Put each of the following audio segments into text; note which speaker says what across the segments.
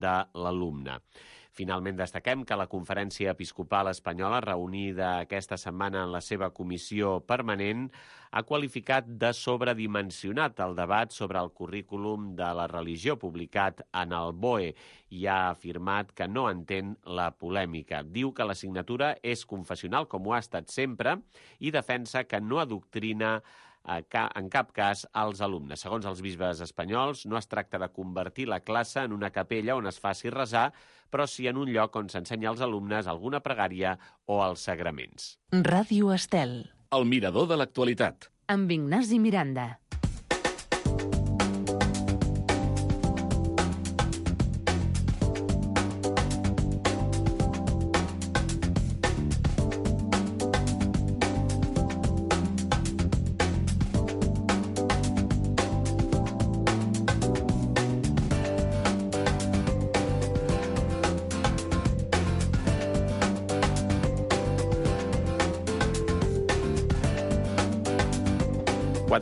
Speaker 1: de l'alumne. Finalment, destaquem que la Conferència Episcopal Espanyola, reunida aquesta setmana en la seva comissió permanent, ha qualificat de sobredimensionat el debat sobre el currículum de la religió publicat en el BOE i ha afirmat que no entén la polèmica. Diu que l'assignatura és confessional, com ho ha estat sempre, i defensa que no adoctrina en cap cas als alumnes. Segons els bisbes espanyols, no es tracta de convertir la classe en una capella on es faci resar, però sí en un lloc on s'ensenya als alumnes alguna pregària o els sagraments.
Speaker 2: Ràdio Estel.
Speaker 3: El mirador de l'actualitat.
Speaker 2: Amb Ignasi Miranda.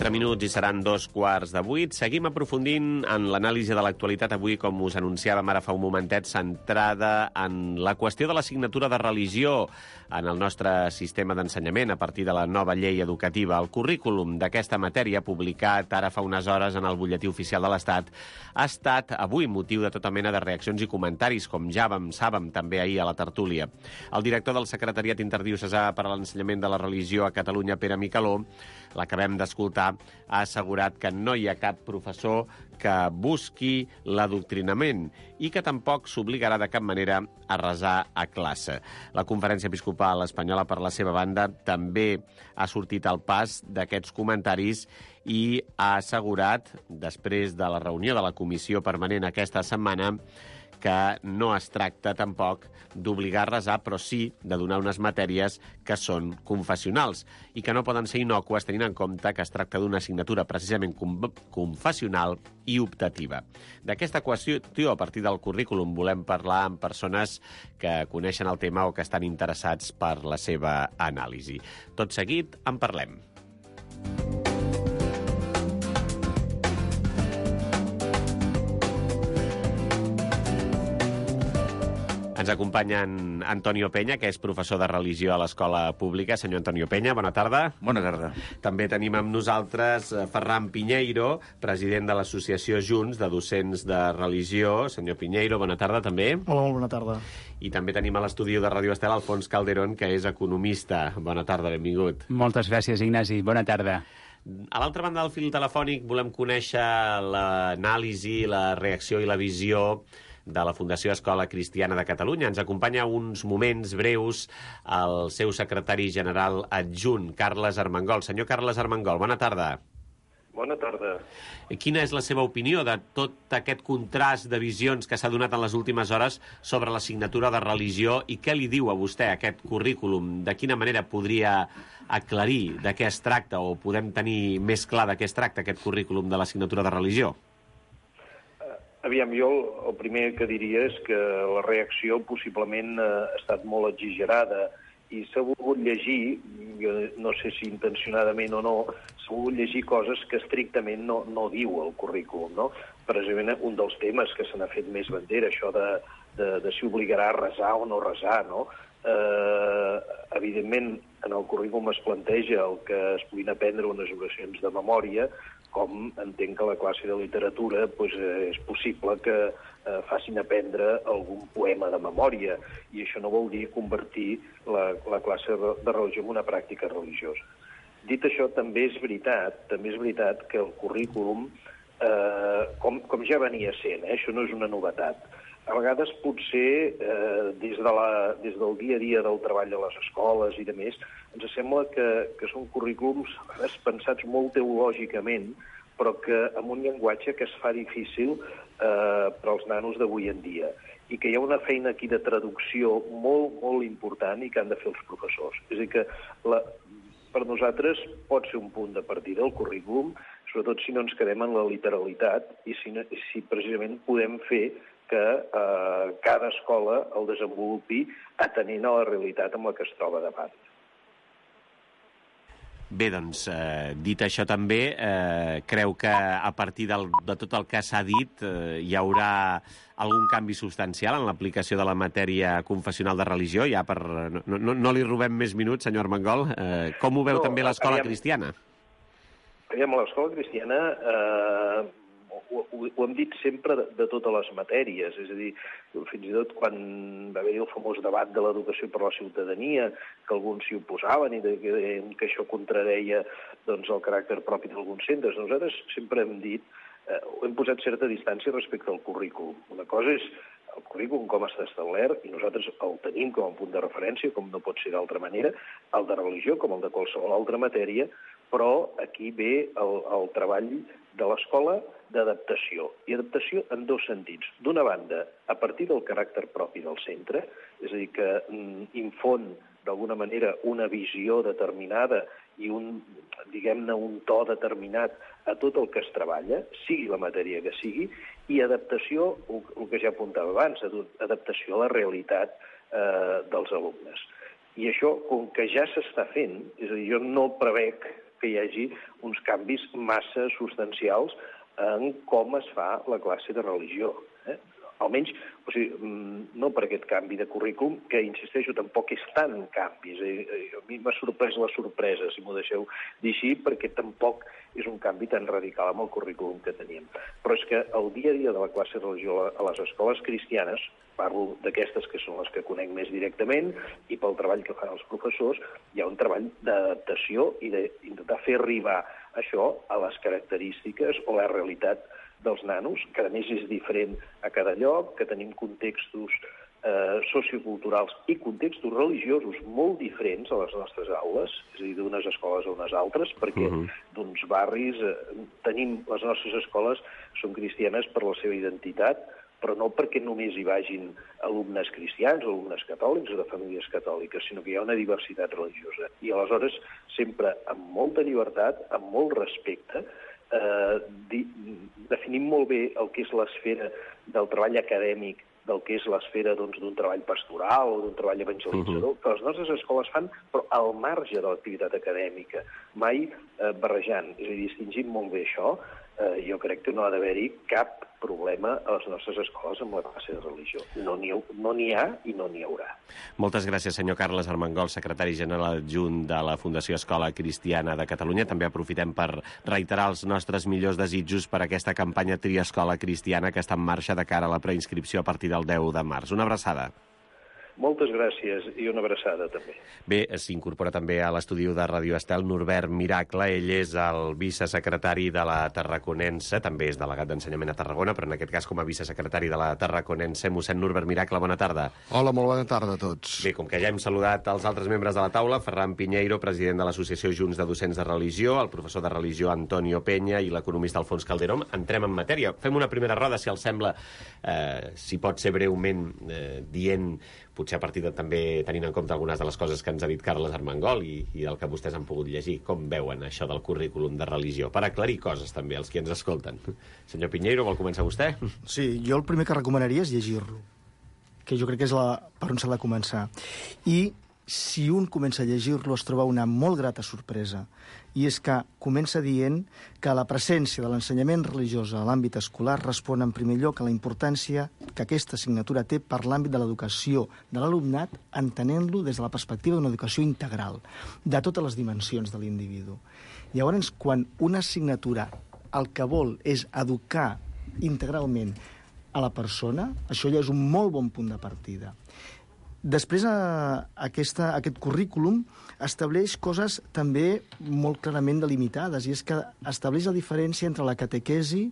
Speaker 1: Minuts i seran 7:15. Seguim aprofundint en l'anàlisi de l'actualitat avui, com us anunciàvem ara fa un momentet, centrada en la qüestió de l'assignatura de religió en el nostre sistema d'ensenyament a partir de la nova llei educativa. El currículum d'aquesta matèria, publicat ara fa unes hores en el butlletí oficial de l'Estat, ha estat avui motiu de tota mena de reaccions i comentaris, com ja sàvem també ahir a la tertúlia. El director del Secretariat Interdiocesà per a l'Ensenyament de la Religió a Catalunya, Pere Micaló, l'acabem d'escoltar, ha assegurat que no hi ha cap professor que busqui l'adoctrinament i que tampoc s'obligarà de cap manera a resar a classe. La Conferència Episcopal Espanyola, per la seva banda, també ha sortit al pas d'aquests comentaris i ha assegurat, després de la reunió de la Comissió Permanent aquesta setmana, que no es tracta tampoc d'obligar a resar, però sí de donar unes matèries que són confessionals i que no poden ser innòcues tenint en compte que es tracta d'una assignatura precisament confessional i optativa. D'aquesta qüestió, a partir del currículum, volem parlar amb persones que coneixen el tema o que estan interessats per la seva anàlisi. Tot seguit en parlem. Ens acompanyen Antonio Peña, que és professor de religió a l'Escola Pública. Senyor Antonio Peña, bona tarda.
Speaker 4: Bona tarda.
Speaker 1: També tenim amb nosaltres Ferran Piñeiro, president de l'Associació Junts de Docents de Religió. Senyor Piñeiro, bona tarda també.
Speaker 5: Hola, molt bona tarda.
Speaker 1: I també tenim a l'estudi de Ràdio Estel Alfons Calderón, que és economista. Bona tarda, benvingut.
Speaker 6: Moltes gràcies, Ignasi. Bona tarda.
Speaker 1: A l'altra banda del fil telefònic volem conèixer l'anàlisi, la reacció i la visió de la Fundació Escola Cristiana de Catalunya. Ens acompanya uns moments breus el seu secretari general adjunt, Carles Armengol. Senyor Carles Armengol, bona tarda.
Speaker 7: Bona tarda.
Speaker 1: Quina és la seva opinió de tot aquest contrast de visions que s'ha donat en les últimes hores sobre l'assignatura de religió i què li diu a vostè aquest currículum? De quina manera podria aclarir de què es tracta o podem tenir més clar de què es tracta aquest currículum de l'assignatura de religió?
Speaker 7: Aviam, jo el primer que diria és que la reacció possiblement ha estat molt exagerada i s'ha volgut llegir, jo no sé si intencionadament o no, s'ha volgut llegir coses que estrictament no diu el currículum, no? Precisament un dels temes que se n'ha fet més bandera, això de si obligarà a resar o no resar, no? Evidentment, en el currículum es planteja el que es puguin aprendre unes oracions de memòria, com entenc que a la classe de literatura és possible que facin aprendre algun poema de memòria, i això no vol dir convertir la classe de religió en una pràctica religiosa. Dit això, també és veritat que el currículum, com ja venia sent, això no és una novetat, a vegades potser des del dia a dia del treball a les escoles i de més, ens sembla que són currículums pensats molt teològicament, però que amb un llenguatge que es fa difícil per als nanos d'avui en dia, i que hi ha una feina aquí de traducció molt, molt important i que han de fer els professors. És a dir, que per nosaltres pot ser un punt de partida el currículum, sobretot si no ens quedem en la literalitat i si precisament podem fer que cada escola el desenvolupi atenent a la realitat amb la que es troba davant.
Speaker 1: Bé, doncs, dit això també, creu que a partir de tot el que s'ha dit hi haurà algun canvi substancial en l'aplicació de la matèria confessional de religió? Ja no li robem més minuts, senyor Armengol. Com ho veu també l'escola cristiana?
Speaker 7: Aviam, a l'escola cristiana ho hem dit sempre de totes les matèries, és a dir, fins i tot quan va haver-hi el famós debat de l'educació per la ciutadania, que alguns s'hi oposaven i que això contradeia doncs, el caràcter propi d'alguns centres, nosaltres sempre hem dit, hem posat certa distància respecte al currículum. Una cosa és el currículum com està establert, i nosaltres el tenim com a punt de referència, com no pot ser d'altra manera, el de religió com el de qualsevol altra matèria, però aquí ve el treball de l'escola d'adaptació. I adaptació en dos sentits. D'una banda, a partir del caràcter propi del centre, és a dir, que infon d'alguna manera una visió determinada i un to determinat a tot el que es treballa, sigui la matèria que sigui, i adaptació, el que ja apuntava abans, adaptació a la realitat dels alumnes. I això, com que ja s'està fent, és a dir, jo no prevec que hi hagi uns canvis massa substancials en com es fa la classe de religió. Almenys, o sigui, no per aquest canvi de currículum, que, insisteixo, tampoc és tant canvi. A mi m'ha sorprès la sorpresa, si m'ho deixeu dir així, perquè tampoc és un canvi tan radical amb el currículum que teníem. Però és que el dia a dia de la classe de religió a les escoles cristianes, parlo d'aquestes que són les que conec més directament, i pel treball que fan els professors, hi ha un treball d'adaptació i d'intentar fer arribar això a les característiques o la realitat dels nanos, que a més és diferent a cada lloc, que tenim contextos socioculturals i contextos religiosos molt diferents a les nostres aules, és a dir, d'unes escoles a unes altres, perquè d'uns barris tenim, les nostres escoles són cristianes per la seva identitat, però no perquè només hi vagin alumnes cristians o alumnes catòlics o de famílies catòliques, sinó que hi ha una diversitat religiosa. I aleshores, sempre amb molta llibertat, amb molt respecte, definim molt bé el que és l'esfera del treball acadèmic, del que és l'esfera d'un treball pastoral o d'un treball evangelitzador, que les nostres escoles fan, però al marge de l'activitat acadèmica, mai barrejant. És a dir, distingim molt bé això. Jo crec que no ha d'haver-hi cap problema a les nostres escoles amb la classe de religió. No n'hi ha i no n'hi haurà.
Speaker 1: Moltes gràcies, senyor Carles Armengol, secretari general adjunt de la Fundació Escola Cristiana de Catalunya. També aprofitem per reiterar els nostres millors desitjos per aquesta campanya Tria Escola Cristiana que està en marxa de cara a la preinscripció a partir del 10 de març. Una abraçada.
Speaker 7: Moltes gràcies i una abraçada, també.
Speaker 1: Bé, s'incorpora també a l'estudi de Ràdio Estel Norbert Miracle. Ell és el vicesecretari de la Tarraconense, també és delegat d'Ensenyament a Tarragona, però en aquest cas com a vicesecretari de la Tarraconense. Mossèn Norbert Miracle, bona tarda.
Speaker 4: Hola, molt bona tarda a tots.
Speaker 1: Bé, com que ja hem saludat els altres membres de la taula, Ferran Pinheiro, president de l'Associació Junts de Docents de Religió, el professor de Religió Antonio Peña i l'economista Alfons Calderón, entrem en matèria. Fem una primera roda, si els sembla, si pot ser breument, dient, potser a partir de també tenint en compte algunes de les coses que ens ha dit Carles Armengol i del que vostès han pogut llegir, com veuen això del currículum de religió, per aclarir coses també als qui ens escolten. Senyor Pinheiro, vol començar vostè?
Speaker 5: Sí, jo el primer que recomanaria és llegir-lo, que jo crec que és per on s'ha de començar. I si un comença a llegir-lo es troba una molt grata sorpresa, i és que comença dient que la presència de l'ensenyament religiós a l'àmbit escolar respon en primer lloc a la importància que aquesta assignatura té per l'àmbit de l'educació de l'alumnat, entenent-lo des de la perspectiva d'una educació integral, de totes les dimensions de l'individu. Llavors, quan una assignatura el que vol és educar integralment a la persona, això ja és un molt bon punt de partida. Després, aquest currículum estableix coses també molt clarament delimitades, i és que estableix la diferència entre la catequesi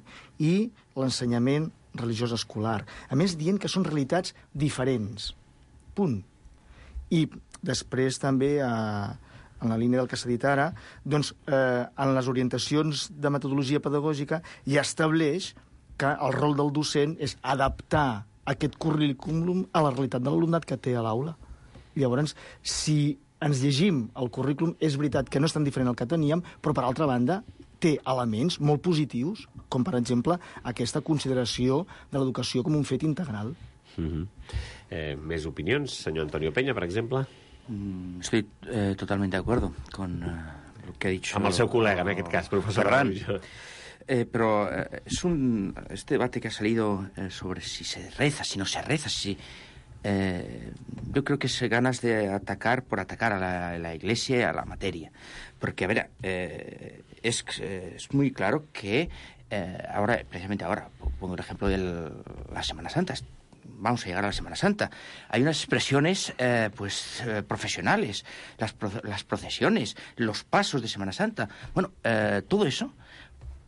Speaker 5: i l'ensenyament religiós escolar. A més, dient que són realitats diferents. Punt. I després també, en la línia del que s'ha dit ara, doncs, en les orientacions de metodologia pedagògica ja estableix que el rol del docent és adaptar aquest currículum a la realitat de l'alumnat que té a l'aula. Llavors, si ens llegim el currículum, és veritat que no és tan diferent del que teníem, però, per altra banda, té elements molt positius, com, per exemple, aquesta consideració de l'educació com un fet integral.
Speaker 1: Més opinions? Senyor Antonio Peña, per exemple?
Speaker 8: Estoy totalmente de acuerdo con lo que ha dicho...
Speaker 1: Amb el seu col·lega, en aquest cas, professor
Speaker 8: Ferran.
Speaker 1: Araujo.
Speaker 8: Pero este debate que ha salido sobre si se reza, si no se reza, yo creo que es ganas de atacar por atacar a la Iglesia y a la materia. Porque, a ver, es muy claro que precisamente ahora, pongo el ejemplo de la Semana Santa. Vamos a llegar a la Semana Santa. Hay unas expresiones profesionales, las procesiones, los pasos de Semana Santa. Bueno, todo eso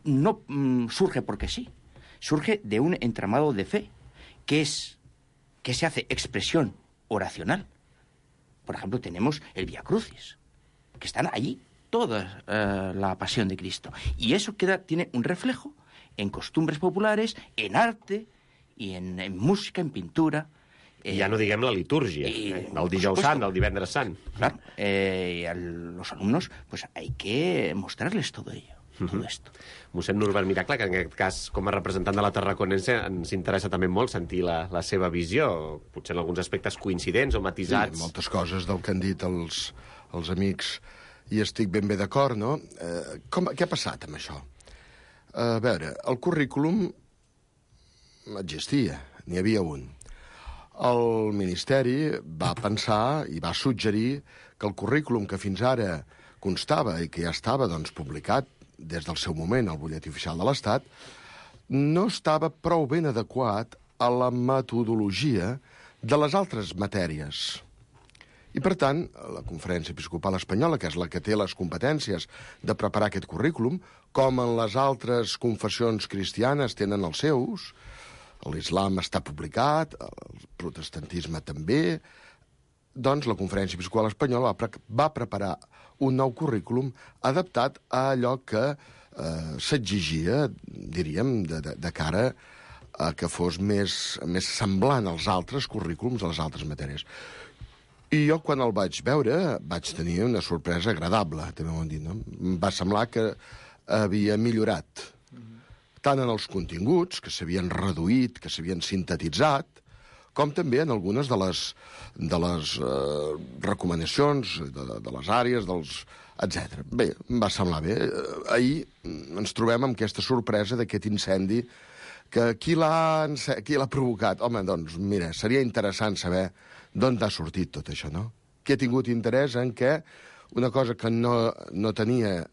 Speaker 8: no surge porque sí. Surge de un entramado de fe que se hace expresión oracional. Por ejemplo, tenemos el Vía Crucis, que están allí toda la pasión de Cristo. Y eso tiene un reflejo en costumbres populares, en arte i en música, en pintura.
Speaker 1: Ja no diguem la litúrgia, el dijous sant, el divendres sant.
Speaker 8: Claro, a los alumnos pues hay que mostrarles todo ello. Todo esto.
Speaker 1: Mossèn Norbert Miracle, que en aquest cas, com a representant de la Tarraconense, ens interessa també molt sentir la seva visió, potser en alguns aspectes coincidents o matisats.
Speaker 4: Sí, moltes coses del que han dit els amics, i estic ben bé d'acord, no? Què ha passat amb això? A veure, el currículum existia, n'hi havia un. El Ministeri va pensar i va suggerir que el currículum que fins ara constava i que ja estava publicat des del seu moment al butlletí oficial de l'Estat, no estava prou ben adequat a la metodologia de les altres matèries. I, per tant, la Conferència Episcopal Espanyola, que és la que té les competències de preparar aquest currículum, com en les altres confessions cristianes tenen els seus, l'islam està publicat, el protestantisme també, doncs la Conferència Episcopal Espanyola va preparar un nou currículum adaptat a allò que s'exigia, diríem, de cara a que fos més semblant als altres currículums, a les altres matèries. I jo, quan el vaig veure, vaig tenir una sorpresa agradable, també ho hem dit, no? Em va semblar que havia millorat, tant en els continguts, que s'havien reduït, que s'havien sintetitzat, com també en algunes de les recomanacions, de les àrees, etc. Bé, em va semblar bé. Ahir ens trobem amb aquesta sorpresa d'aquest incendi, que qui l'ha provocat? Home, doncs, mira, seria interessant saber d'on ha sortit tot això, no? Qui ha tingut interès en què una cosa que no tenia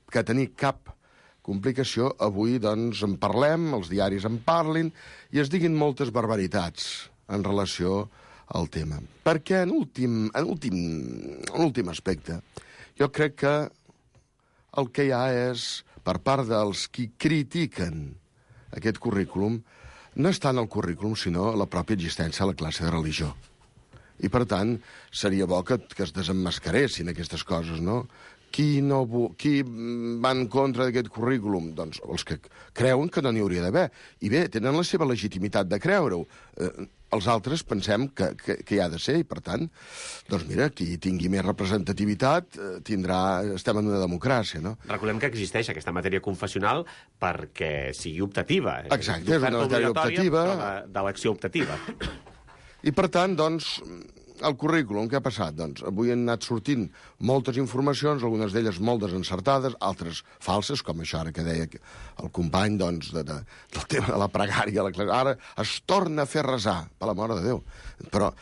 Speaker 4: que tenir cap complicació, avui, doncs, en parlem, els diaris en parlin, i es diguin moltes barbaritats en relació al tema. Perquè, en últim aspecte, jo crec que el que hi ha és, per part dels qui critiquen aquest currículum, no és tant el currículum, sinó la pròpia existència de la classe de religió. I, per tant, seria bo que es desemmascaressin aquestes coses, no? Qui va en contra d'aquest currículum? Doncs els que creuen que no n'hi hauria d'haver. I bé, tenen la seva legitimitat de creure-ho. Els altres pensem que hi ha de ser, i per tant, doncs mira, qui tingui més representativitat estem en una democràcia, no?
Speaker 1: Recordem que existeix aquesta matèria confessional perquè sigui optativa.
Speaker 4: Exacte, és una matèria optativa.
Speaker 1: D'elecció optativa.
Speaker 4: I per tant, doncs, el currículum, què ha passat? Doncs avui han anat sortint moltes informacions, algunes d'elles molt desencertades, altres falses, com això ara que deia el company, doncs, del tema de la pregària. Ara es torna a fer resar, per la mare de Déu. Però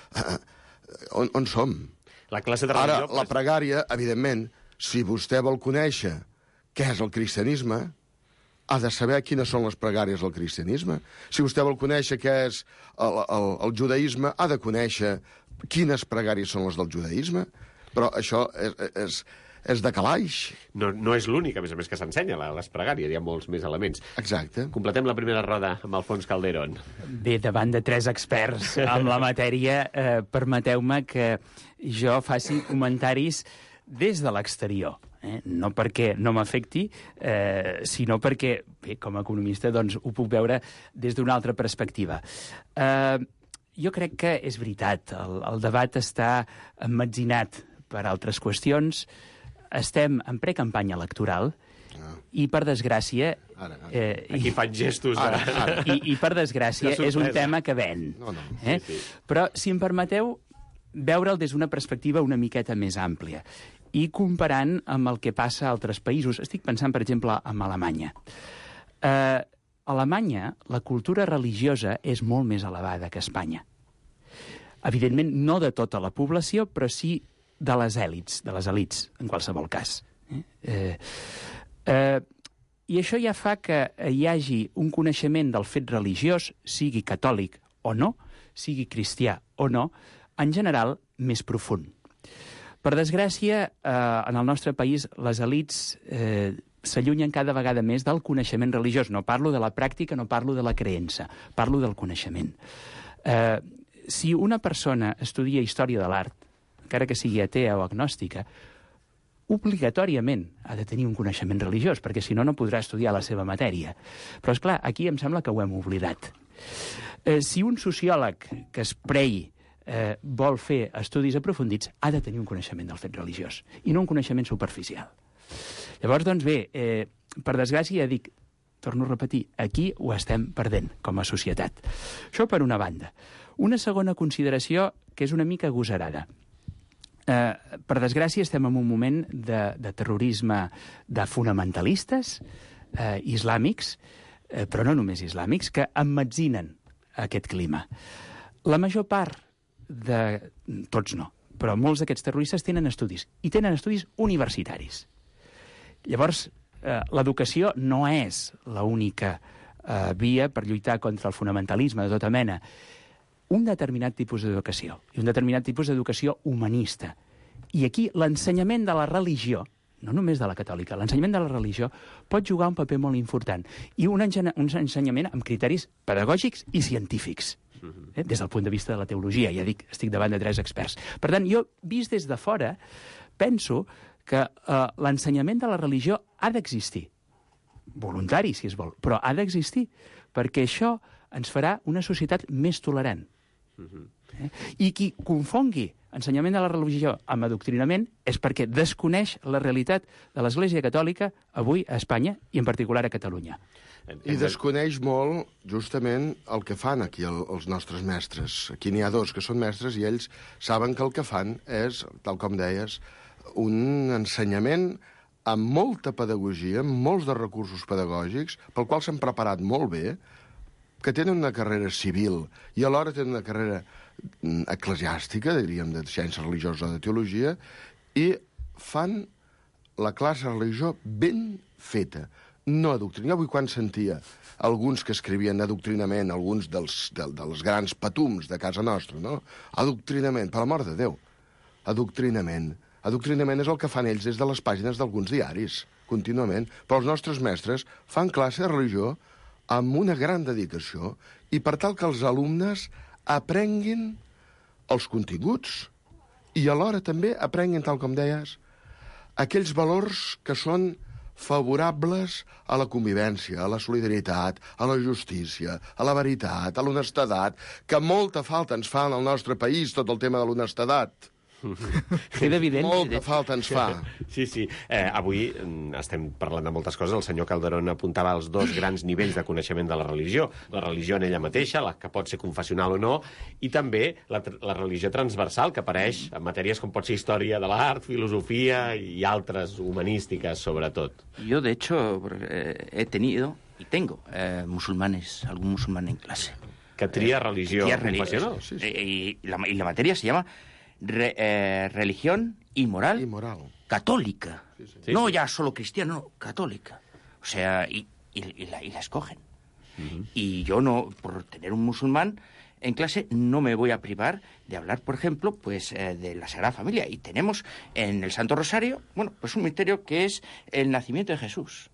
Speaker 4: on som?
Speaker 1: La classe de religió...
Speaker 4: Ara, la pregària, evidentment, si vostè vol conèixer què és el cristianisme, ha de saber quines són les pregàries del cristianisme. Si vostè vol conèixer què és el judaïsme, ha de conèixer quines pregàries són les del judaïsme. Però això és de calaix.
Speaker 1: No és l'únic, a més que s'ensenya, les pregàries. Hi ha molts més elements.
Speaker 4: Exacte.
Speaker 1: Completem la primera roda amb Alfons Calderón.
Speaker 6: Bé, davant de tres experts en la matèria, permeteu-me que jo faci comentaris des de l'exterior. No perquè no m'afecti, sinó perquè, bé, com a economista, doncs, ho puc veure des d'una altra perspectiva. Jo crec que és veritat, el debat està emmetzinat per altres qüestions, estem en precampanya electoral, i per desgràcia...
Speaker 1: Aquí fan gestos.
Speaker 6: I per desgràcia és un tema que ven.
Speaker 1: Sí.
Speaker 6: Però, si em permeteu, veure'l des d'una perspectiva una miqueta més àmplia. i comparant amb el que passa a altres països. Estic pensant, per exemple, en Alemanya. A Alemanya, la cultura religiosa és molt més elevada que a Espanya. Evidentment, no de tota la població, però sí de les èlits, en qualsevol cas. I això ja fa que hi hagi un coneixement del fet religiós, sigui catòlic o no, sigui cristià o no, en general, més profund. Per desgràcia, en el nostre país, les elits s'allunyen cada vegada més del coneixement religiós. No parlo de la pràctica, no parlo de la creença, parlo del coneixement. Si una persona estudia història de l'art, encara que sigui atea o agnòstica, obligatòriament ha de tenir un coneixement religiós, perquè si no, no podrà estudiar la seva matèria. Però, esclar, aquí em sembla que ho hem oblidat. Si un sociòleg que es prei vol fer estudis aprofundits, ha de tenir un coneixement del fet religiós, i no un coneixement superficial. Llavors, doncs bé, per desgràcia, ja dic, torno a repetir, aquí ho estem perdent com a societat. Això per una banda. Una segona consideració que és una mica agosarada. Per desgràcia, estem en un moment de terrorisme de fonamentalistes islàmics, però no només islàmics, que emmetzinen aquest clima. La major part tots no, però molts d'aquests terroristes tenen estudis, i tenen estudis universitaris. Llavors, l'educació no és l'única via per lluitar contra el fonamentalisme de tota mena. Un determinat tipus d'educació, i un determinat tipus d'educació humanista. I aquí l'ensenyament de la religió, no només de la catòlica, l'ensenyament de la religió pot jugar un paper molt important, i un ensenyament amb criteris pedagògics i científics. Des del punt de vista de la teologia, ja dic, estic davant de 3 experts. Per tant, jo, vist des de fora, penso que l'ensenyament de la religió ha d'existir. Voluntari, si es vol, però ha d'existir, perquè això ens farà una societat més tolerant. I qui confongui ensenyament de la religió amb adoctrinament és perquè desconeix la realitat de l'Església Catòlica avui a Espanya i en particular a Catalunya.
Speaker 4: I desconeix molt, justament, el que fan aquí els nostres mestres. Aquí n'hi ha 2 que són mestres i ells saben que el que fan és, tal com deies, un ensenyament amb molta pedagogia, amb molts de recursos pedagògics, pel qual s'han preparat molt bé, que tenen una carrera civil i alhora tenen una carrera eclesiàstica, diríem, de ciència religiosa o de teologia, i fan la classe de religió ben feta, no adoctrinar. Avui quan sentia alguns que escrivien adoctrinament, alguns dels grans patums de casa nostra, no? Adoctrinament, per l'amor de Déu. Adoctrinament. Adoctrinament és el que fan ells des de les pàgines d'alguns diaris, contínuament. Però els nostres mestres fan classe de religió amb una gran dedicació i per tal que els alumnes aprenguin els continguts i alhora també aprenguin, tal com deies, aquells valors que són favorables a la convivència, a la solidaritat, a la justícia, a la veritat, a l'honestedat, que molta falta ens fa en el nostre país tot el tema de l'honestedat.
Speaker 6: Queda evident.
Speaker 4: Molta falta ens fa.
Speaker 1: Sí, sí. Avui estem parlant de moltes coses. El senyor Calderón apuntava els 2 grans nivells de coneixement de la religió. La religió en ella mateixa, la que pot ser confessional o no, i també la religió transversal, que apareix en matèries com pot ser història de l'art, filosofia i altres humanístiques, sobretot.
Speaker 8: Yo, de hecho, he tenido y tengo musulmanes, algún musulmán en clase.
Speaker 1: Que tria religió confessional.
Speaker 8: Sí. Y la materia se llama religión y moral católica.
Speaker 1: Sí,
Speaker 8: no
Speaker 1: sí.
Speaker 8: ya solo cristiana, no, católica. O sea, y la escogen. Y yo no, por tener un musulmán en clase, no me voy a privar de hablar, por ejemplo, pues de la Sagrada Familia. Y tenemos en el Santo Rosario, bueno, pues un misterio que es el nacimiento de Jesús.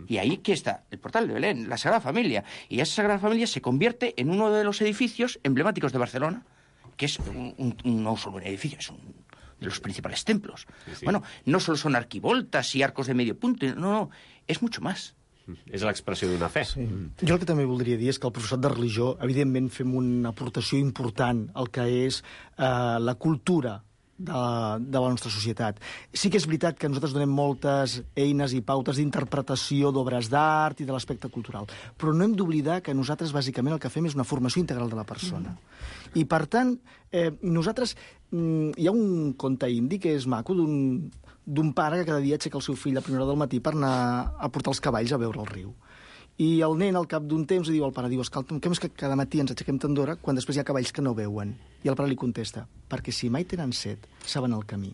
Speaker 8: Y ahí que está el portal de Belén, la Sagrada Familia. Y esa Sagrada Familia se convierte en uno de los edificios emblemáticos de Barcelona, que es no solo un edificio, es uno de los principales templos. Sí. Bueno, no solo son arquivoltas y arcos de medio punto, no, és mucho más.
Speaker 1: És l'expressió d'una fe.
Speaker 5: Sí. Jo el que també voldria dir és que el professorat de religió, evidentment, fem una aportació important al que és la cultura de la nostra societat. Sí que és veritat que nosaltres donem moltes eines i pautes d'interpretació d'obres d'art i de l'aspecte cultural, però no hem d'oblidar que nosaltres, bàsicament, el que fem és una formació integral de la persona. I, per tant, nosaltres... hi ha un conte indi que és maco d'un pare que cada dia aixeca el seu fill a primera hora del matí per anar a portar els cavalls a veure el riu. I el nen, al cap d'un temps, diu al pare, escolta'm, què és que cada matí ens aixequem tan d'hora quan després hi ha cavalls que no veuen? I el pare li contesta, perquè si mai tenen set, saben el camí.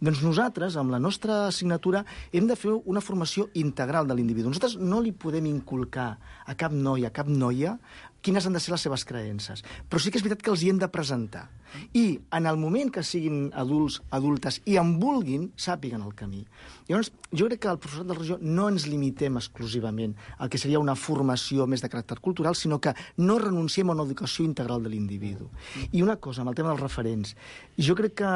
Speaker 5: Doncs nosaltres, amb la nostra assignatura, hem de fer una formació integral de l'individu. Nosaltres no li podem inculcar a cap noi, a cap noia, quines han de ser les seves creences. Però sí que és veritat que els hi hem de presentar. I en el moment que siguin adults, adultes, i en vulguin, sàpiguen el camí. Llavors, jo crec que al professorat de religió no ens limitem exclusivament al que seria una formació més de caràcter cultural, sinó que no renunciem a una educació integral de l'individu. I una cosa, amb el tema dels referents. Jo crec que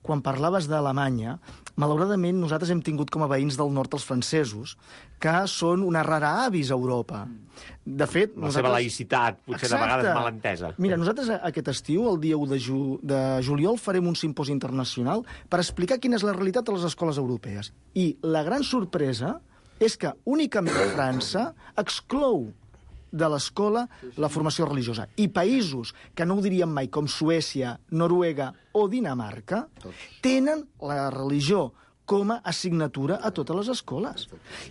Speaker 5: quan parlaves d'Alemanya, malauradament nosaltres hem tingut com a veïns del nord els francesos, que són una rara avis a Europa. De fet,
Speaker 1: la seva laïcitat, potser de vegades mal entesa.
Speaker 5: Mira, nosaltres aquest estiu, el dia 1 de juliol, farem un simposi internacional per explicar quina és la realitat de les escoles europees. I la gran sorpresa és que únicament França exclou de l'escola la formació religiosa. I països que no ho diríem mai, com Suècia, Noruega o Dinamarca, tenen la religió com a assignatura a totes les escoles.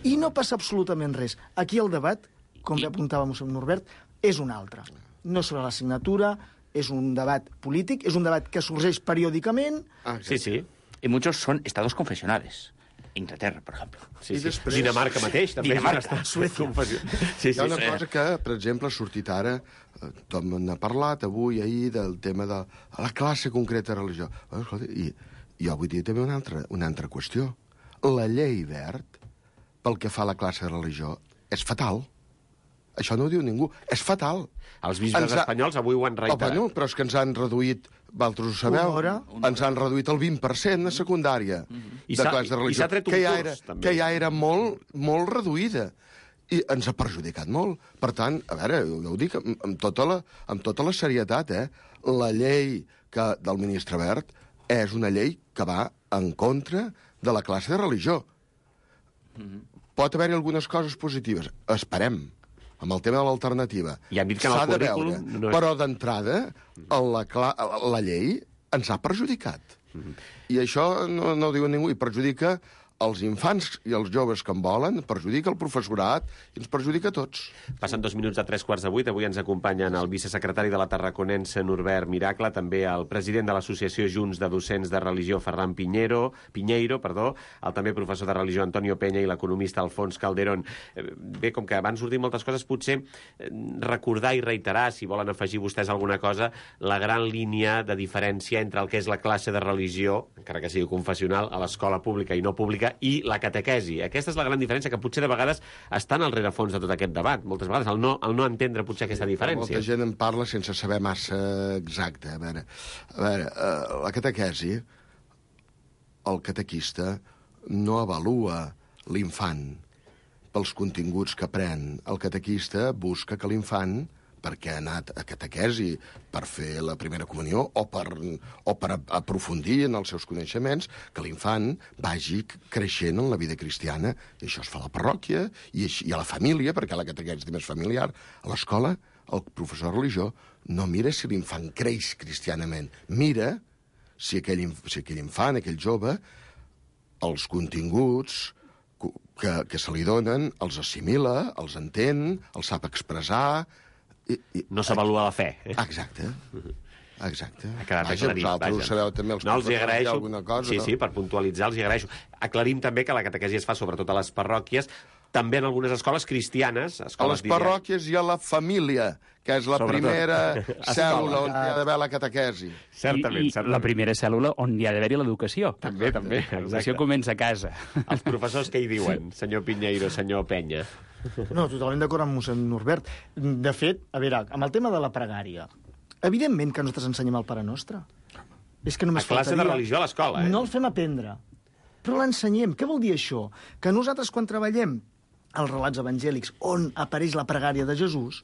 Speaker 5: I no passa absolutament res. Aquí el debat, com ja apuntava mossèn Norbert, és un altre. No és sobre l'assignatura, és un debat polític, és un debat que sorgeix periòdicament.
Speaker 1: Sí, sí.
Speaker 8: Y muchos son estados confesionales. Inglaterra, por ejemplo.
Speaker 1: Sí, sí. Dinamarca mateix, també.
Speaker 8: Dinamarca,
Speaker 5: Suècia.
Speaker 1: Sí,
Speaker 4: Hi ha una cosa que, per exemple, ha sortit ara, tothom n'ha parlat avui, ahir, del tema de la classe concreta de religió. I jo vull dir també una altra qüestió. La llei Wert, pel que fa a la classe de religió, és fatal. Això no ho diu ningú. És fatal.
Speaker 1: Els bisbes espanyols avui ho han reiterat.
Speaker 4: Bueno, però és que ens han reduït, vosaltres ho sabeu, ens han reduït el 20% a secundària de classe de religió.
Speaker 1: I s'ha tret un curs, també.
Speaker 4: Que ja era molt, molt reduïda. I ens ha perjudicat molt. Per tant, a veure, jo ho dic amb tota la serietat, la llei del ministre Wert és una llei que va en contra de la classe de religió. Pot haver-hi algunes coses positives. Esperem. Amb el tema de l'alternativa.
Speaker 1: I han dit que en el currículum...
Speaker 4: No és... Però d'entrada, la llei ens ha perjudicat. I això no ho diu ningú. I perjudica els infants i els joves que en volen, perjudica el professorat i ens perjudica a tots.
Speaker 1: Passen 2 minuts de 3:15. Avui ens acompanyen el vicesecretari de la Tarraconense, Norbert Miracle, també el president de l'Associació Junts de Docents de Religió, Ferran Pinheiro, el també professor de religió, Antonio Peña, i l'economista Alfons Calderón. Bé, com que van sortir moltes coses, potser recordar i reiterar, si volen afegir vostès alguna cosa, la gran línia de diferència entre el que és la classe de religió, encara que sigui confessional, a l'escola pública i no pública, i la catequesi. Aquesta és la gran diferència que potser de vegades està en el rerefons de tot aquest debat. Moltes vegades el no entendre potser aquesta diferència.
Speaker 4: Molta gent en parla sense saber massa exacte. A veure, la catequesi, el catequista no avalua l'infant pels continguts que aprèn. El catequista busca que l'infant, perquè ha anat a catequesi per fer la primera comunió o per aprofundir en els seus coneixements, que l'infant vagi creixent en la vida cristiana. I això es fa a la parròquia i a la família, perquè la catequesi és més familiar. A l'escola, el professor de religió no mira si l'infant creix cristianament. Mira si aquell infant, aquell jove, els continguts que se li donen els assimila, els entén, els sap expressar.
Speaker 1: No s'avalua la fe.
Speaker 4: Exacte. Ha
Speaker 1: quedat aclarit.
Speaker 4: Vosaltres ho sabeu també, els
Speaker 1: agraeixo.
Speaker 4: Alguna cosa.
Speaker 1: Sí, per puntualitzar, els hi agraeixo. Aclarim també que la catequesi es fa sobretot a les parròquies, també en algunes escoles cristianes.
Speaker 4: A les parròquies i a la família, que és la primera cèl·lula on hi ha d'haver la catequesi.
Speaker 6: Certament. La primera cèl·lula on hi ha d'haver-hi l'educació.
Speaker 1: També.
Speaker 6: L'educació comença a casa.
Speaker 1: Els professors què hi diuen, senyor Pinheiro, senyor Penya?
Speaker 5: No, totalment d'acord amb mossèn Norbert. De fet, a veure, amb el tema de la pregària, evidentment que nosaltres ensenyem el Pare Nostre. És que només
Speaker 1: a classe
Speaker 5: faltaria...
Speaker 1: de religió a l'escola,
Speaker 5: No el fem aprendre, però l'ensenyem. Què vol dir això? Que nosaltres, quan treballem els relats evangèlics on apareix la pregària de Jesús,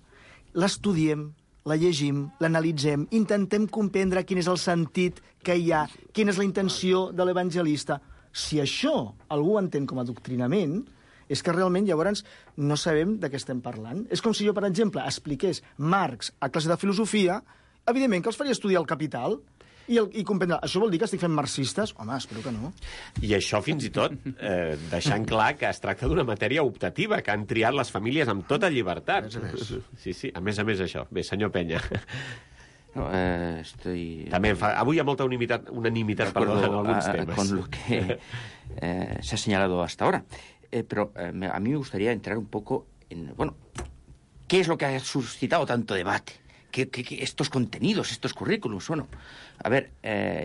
Speaker 5: l'estudiem, la llegim, l'analitzem, intentem comprendre quin és el sentit que hi ha, quina és la intenció de l'evangelista. Si això algú entén com a adoctrinament, és que realment llavors no sabem de què estem parlant. És com si jo, per exemple, expliqués Marx a classe de filosofia, evidentment que els faria estudiar el Capital, i comprendre, això vol dir que estic fent marxistes? Home, espero que no.
Speaker 1: I això, fins i tot, deixant clar que es tracta d'una matèria optativa, que han triat les famílies amb tota llibertat.
Speaker 4: A més.
Speaker 1: Sí, a més això. Bé, senyor Penya.
Speaker 8: No, estoy...
Speaker 1: També avui hi ha molta unanimitat en alguns temas.
Speaker 8: Con lo que se ha señalado hasta ahora. Pero a mí me gustaría entrar un poco en... Bueno, ¿qué es lo que ha suscitado tanto debate? ¿Qué estos contenidos, estos currículums? Bueno, a ver,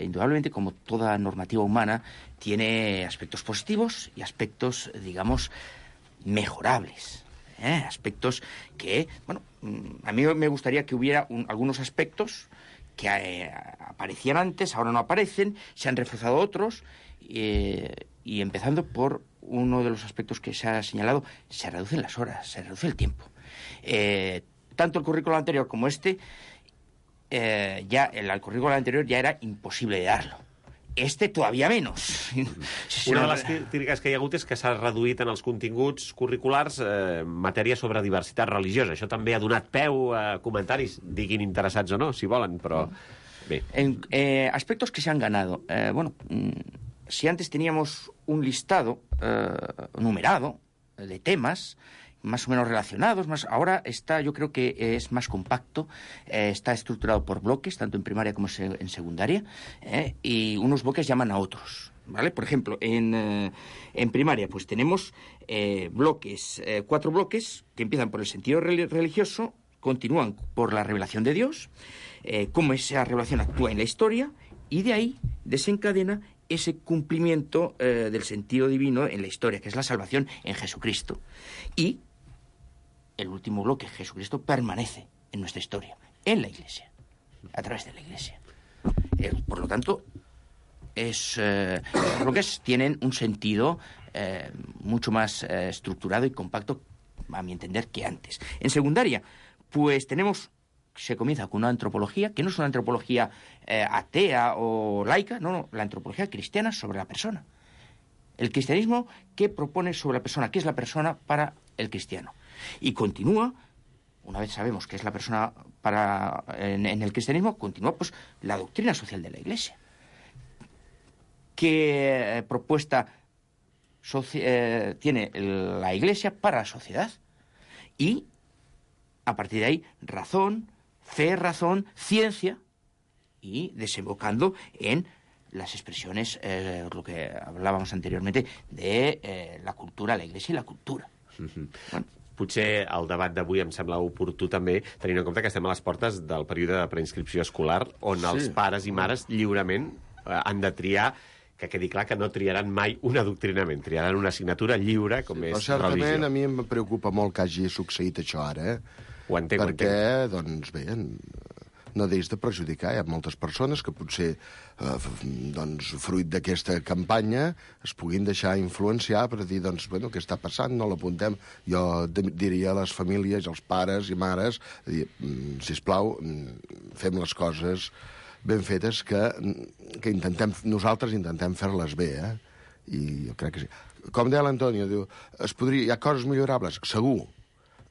Speaker 8: indudablemente, como toda normativa humana, tiene aspectos positivos y aspectos, digamos, mejorables. Aspectos que, bueno, a mí me gustaría que hubiera algunos aspectos que aparecían antes, ahora no aparecen, se han reforzado otros, y empezando por uno de los aspectos que se ha señalado, se reducen las horas, se reduce el tiempo. Tanto el currículo anterior como el currículo anterior ya era imposible de darlo. Este todavía menos.
Speaker 1: Una de les crítiques que hi ha hagut és que s'ha reduït en els continguts curriculars matèria sobre diversitat religiosa. Això també ha donat peu a comentaris, diguin interessats o no, si volen, però bé.
Speaker 8: Aspectos que se han ganado. Bueno, si antes teníamos un listado numerado de temas más o menos relacionados, ahora yo creo que es más compacto, está estructurado por bloques, tanto en primaria como en secundaria, y unos bloques llaman a otros, ¿vale? Por ejemplo, en primaria pues tenemos bloques, 4 bloques que empiezan por el sentido religioso, continúan por la revelación de Dios, cómo esa revelación actúa en la historia, y de ahí desencadena ese cumplimiento del sentido divino en la historia, que es la salvación en Jesucristo. Y el último bloque, Jesucristo, permanece en nuestra historia, en la Iglesia, a través de la Iglesia. Por lo tanto, los bloques tienen un sentido mucho más estructurado y compacto, a mi entender, que antes. En secundaria, pues se comienza con una antropología, que no es una antropología atea o laica, no, la antropología cristiana sobre la persona. El cristianismo, ¿qué propone sobre la persona? ¿Qué es la persona para el cristiano? Y continúa, una vez sabemos qué es la persona en el cristianismo, continúa pues la doctrina social de la Iglesia. ¿Qué propuesta tiene la Iglesia para la sociedad? Y, a partir de ahí, razón, fe, razón, ciencia, y desembocando en las expresiones, lo que hablábamos anteriormente, de la cultura, la Iglesia i la cultura. Bueno.
Speaker 1: Potser el debat d'avui em sembla oportú també, tenint en compte que estem a les portes del període de preinscripció escolar, on els pares i mares lliurement han de triar, que quedi clar que no triaran mai un adoctrinament, triaran una assignatura lliure, com és religió.
Speaker 4: Certament, a mi em preocupa molt que hagi succeït això ara,
Speaker 1: Ho entenc,
Speaker 4: perquè, doncs bé, no deix de perjudicar. Hi ha moltes persones que potser, doncs, fruit d'aquesta campanya, es puguin deixar influenciar per dir, doncs, bueno, què està passant? No l'apuntem. Jo diria a les famílies, als pares i mares, sisplau, fem les coses ben fetes que nosaltres intentem fer-les bé, I jo crec que sí. Com deia l'Antonio, diu, hi ha coses millorables? Segur,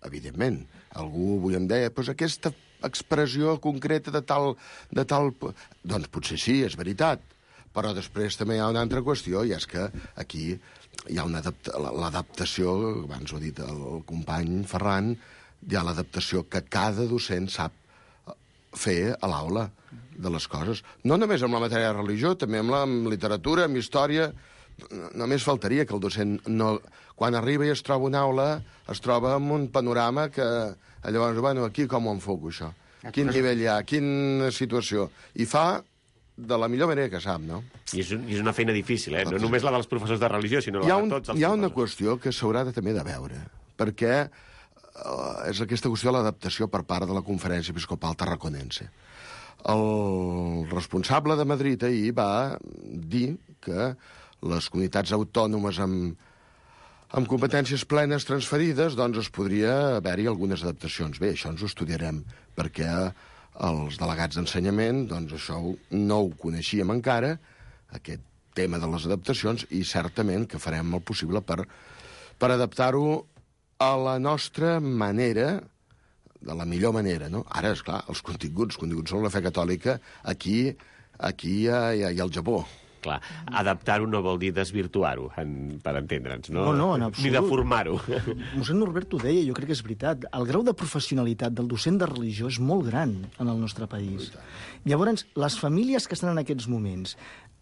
Speaker 4: evidentment. Algú avui em deia, doncs aquesta expressió concreta de tal... Doncs potser sí, és veritat. Però després també hi ha una altra qüestió, i és que aquí hi ha l'adaptació, abans ho ha dit el company Ferran, hi ha l'adaptació que cada docent sap fer a l'aula de les coses. No només amb la matèria de religió, també amb literatura, amb història. Només faltaria que el docent, quan arriba i es troba una aula, es troba amb un panorama que llavors, bueno, aquí com ho enfoco, això? Quin nivell hi ha? Quina situació? I fa de la millor manera que sap, no?
Speaker 1: I és una feina difícil, No només la dels professors de religió, sinó la de tots els professors.
Speaker 4: Hi ha una qüestió que s'haurà també de veure, perquè és aquesta qüestió de l'adaptació per part de la Conferència Episcopal Tarraconense. El responsable de Madrid ahir va dir que les comunitats autònomes amb competències plenes transferides, doncs es podria haver-hi algunes adaptacions. Bé, això ens ho estudiarem, perquè els delegats d'ensenyament, doncs això no ho coneixíem encara, aquest tema de les adaptacions, i certament que farem el possible per adaptar-ho a la nostra manera, de la millor manera, no? Ara, esclar, els continguts són la fe catòlica, aquí hi ha el Japó.
Speaker 1: Clar, adaptar-ho no vol dir desvirtuar-ho, per entendre'ns, no?
Speaker 5: No, en absolut.
Speaker 1: Ni deformar-ho.
Speaker 5: Mossèn Norbert ho deia, jo crec que és veritat. El grau de professionalitat del docent de religió és molt gran en el nostre país. Llavors, les famílies que estan en aquests moments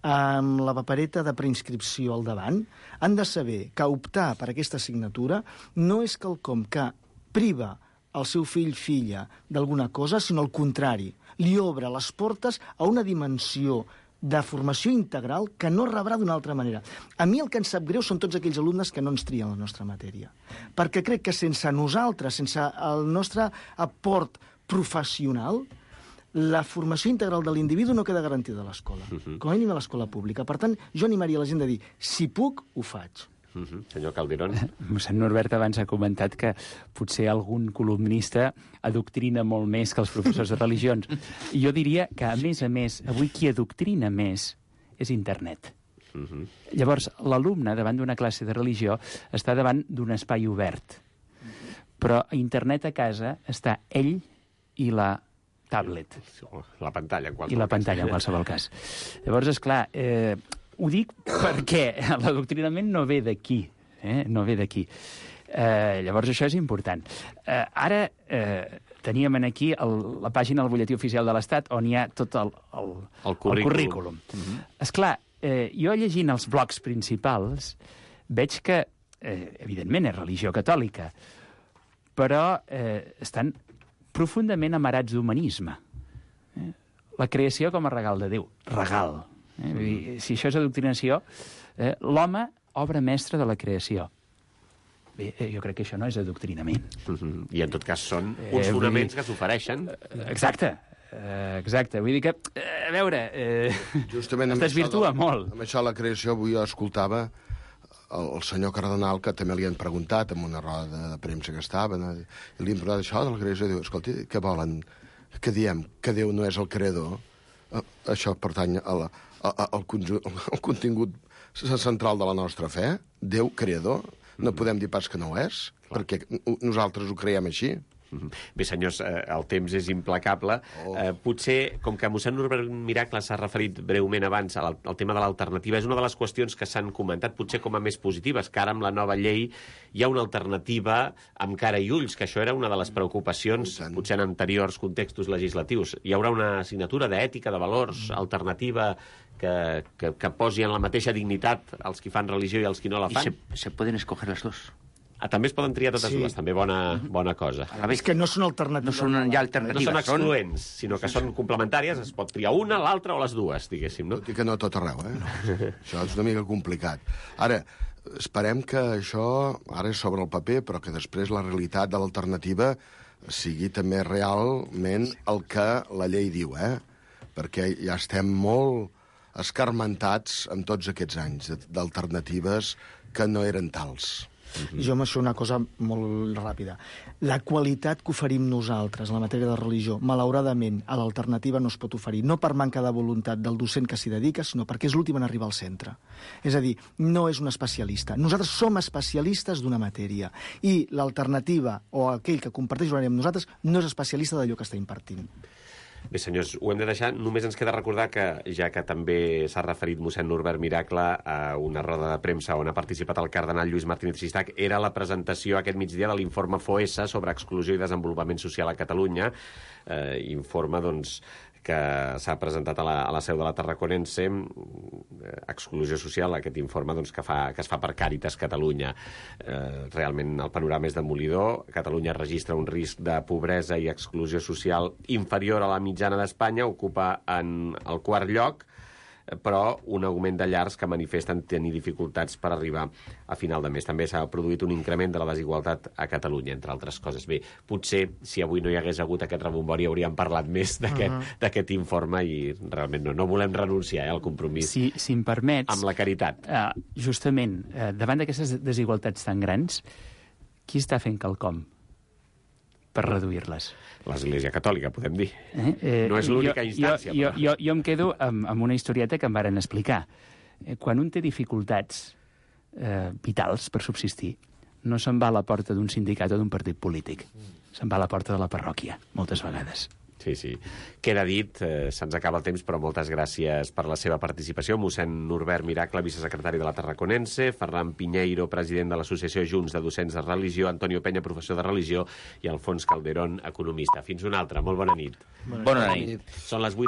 Speaker 5: amb la papereta de preinscripció al davant han de saber que optar per aquesta assignatura no és quelcom que priva el seu fill-filla d'alguna cosa, sinó al contrari. Li obre les portes a una dimensió de formació integral que no rebrà d'una altra manera. A mi el que em sap greu són tots aquells alumnes que no ens trien la nostra matèria. Perquè crec que sense nosaltres, sense el nostre aport professional, la formació integral de l'individu no queda garantida a l'escola, com a mínim a l'escola pública. Per tant, jo animaria la gent a dir, si puc, ho faig.
Speaker 1: Senyor Calderón.
Speaker 6: Mossèn Norbert abans ha comentat que potser algun columnista adoctrina molt més que els professors de religions. I jo diria que, a més, avui qui adoctrina més és internet. Llavors, l'alumne, davant d'una classe de religió, està davant d'un espai obert. Però a internet a casa està ell i la tablet.
Speaker 1: La pantalla, en qualsevol cas.
Speaker 6: I la pantalla, en qualsevol cas. Llavors, esclar, ho dic perquè l'adoctrinament no ve d'aquí, no ve d'aquí. Llavors això és important. Ara teníem aquí la pàgina del butlletí oficial de l'Estat on hi ha tot el currículum. Esclar, jo llegint els blocs principals veig que, evidentment, és religió catòlica, però estan profundament amarats d'humanisme. La creació com a regal de Déu. Regal. Si això és adoctrinació, l'home, obra mestra de la creació. Bé, jo crec que això no és adoctrinament.
Speaker 1: I en tot cas són uns fonaments que s'ofereixen.
Speaker 6: Exacte. Vull dir que, a veure,
Speaker 4: justament
Speaker 6: es desvirtua molt.
Speaker 4: Amb això la creació, avui jo escoltava el senyor cardenal, que també li han preguntat en una roda de premsa que estaven, i li han preguntat això de la creació, i diu, escolti, què volen? Que diem que Déu no és el creador? Això pertany al contingut central de la nostra fe? Déu creador? No podem dir pas que no ho és, perquè nosaltres ho creiem així.
Speaker 1: Bé, senyors, el temps és implacable. Potser, com que mossèn Norbert Miracle s'ha referit breument abans al tema de l'alternativa, és una de les qüestions que s'han comentat, potser com a més positives, que ara amb la nova llei hi ha una alternativa amb cara i ulls, que això era una de les preocupacions, potser en anteriors contextos legislatius. Hi haurà una assignatura d'ètica, de valors, alternativa, que posi en la mateixa dignitat els qui fan religió i els qui no la fan.
Speaker 8: I se poden escoger les dos.
Speaker 1: També es poden triar totes dues, també bona cosa.
Speaker 5: És que no són alternatives.
Speaker 8: No són ja alternatives.
Speaker 1: No són excloents, sinó que són complementàries, es pot triar una, l'altra o les dues, diguéssim, no?
Speaker 4: Tot i que no a tot arreu, Això és una mica complicat. Ara, esperem que això ara és sobre el paper, però que després la realitat de l'alternativa sigui també realment el que la llei diu, Perquè ja estem molt escarmentats amb tots aquests anys d'alternatives que no eren tals.
Speaker 5: Jo amb això una cosa molt ràpida. La qualitat que oferim nosaltres en la matèria de religió, malauradament, a l'alternativa no es pot oferir, no per manca de voluntat del docent que s'hi dedica, sinó perquè és l'últim en arribar al centre. És a dir, no és un especialista. Nosaltres som especialistes d'una matèria i l'alternativa o aquell que comparteix l'horari amb nosaltres no és especialista d'allò que està impartint.
Speaker 1: Bé, senyors, ho hem de deixar. Només ens queda recordar que, ja que també s'ha referit mossèn Norbert Miracle a una roda de premsa on ha participat el cardenal Lluís Martínez Xistach, era la presentació aquest migdia de l'informe FOESA sobre exclusió i desenvolupament social a Catalunya. Informe, doncs, que s'ha presentat a la seu de la Tarraconense, exclusió social, aquest informe doncs, que es fa per Càritas Catalunya. Realment el panorama és demolidor. Catalunya registra un risc de pobresa i exclusió social inferior a la mitjana d'Espanya, ocupa en el quart lloc, però un augment de llars que manifesten tenir dificultats per arribar a final de mes. També s'ha produït un increment de la desigualtat a Catalunya, entre altres coses. Bé, potser, si avui no hi hagués hagut aquest rebombori, hauríem parlat més d'aquest informe i realment no volem renunciar al compromís
Speaker 6: si em permets,
Speaker 1: amb la caritat.
Speaker 6: Justament, davant d'aquestes desigualtats tan grans, qui està fent quelcom per reduir-les?
Speaker 1: L'Església Catòlica, podem dir. No és l'única instància.
Speaker 6: Jo em quedo amb una historieta que em varen explicar. Quan un té dificultats vitals per subsistir, no se'n va a la porta d'un sindicat o d'un partit polític. Se'n va a la porta de la parròquia, moltes vegades.
Speaker 1: Sí. Queda dit, se'ns acaba el temps, però moltes gràcies per la seva participació. Mossèn Norbert Miracle, vicesecretari de la Tarraconense, Ferran Piñeiro, president de l'Associació Junts de Docents de Religió, Antonio Peña, professor de Religió, i Alfons Calderón, economista. Fins una altra. Molt bona nit.
Speaker 8: Bona nit.
Speaker 1: Són les 8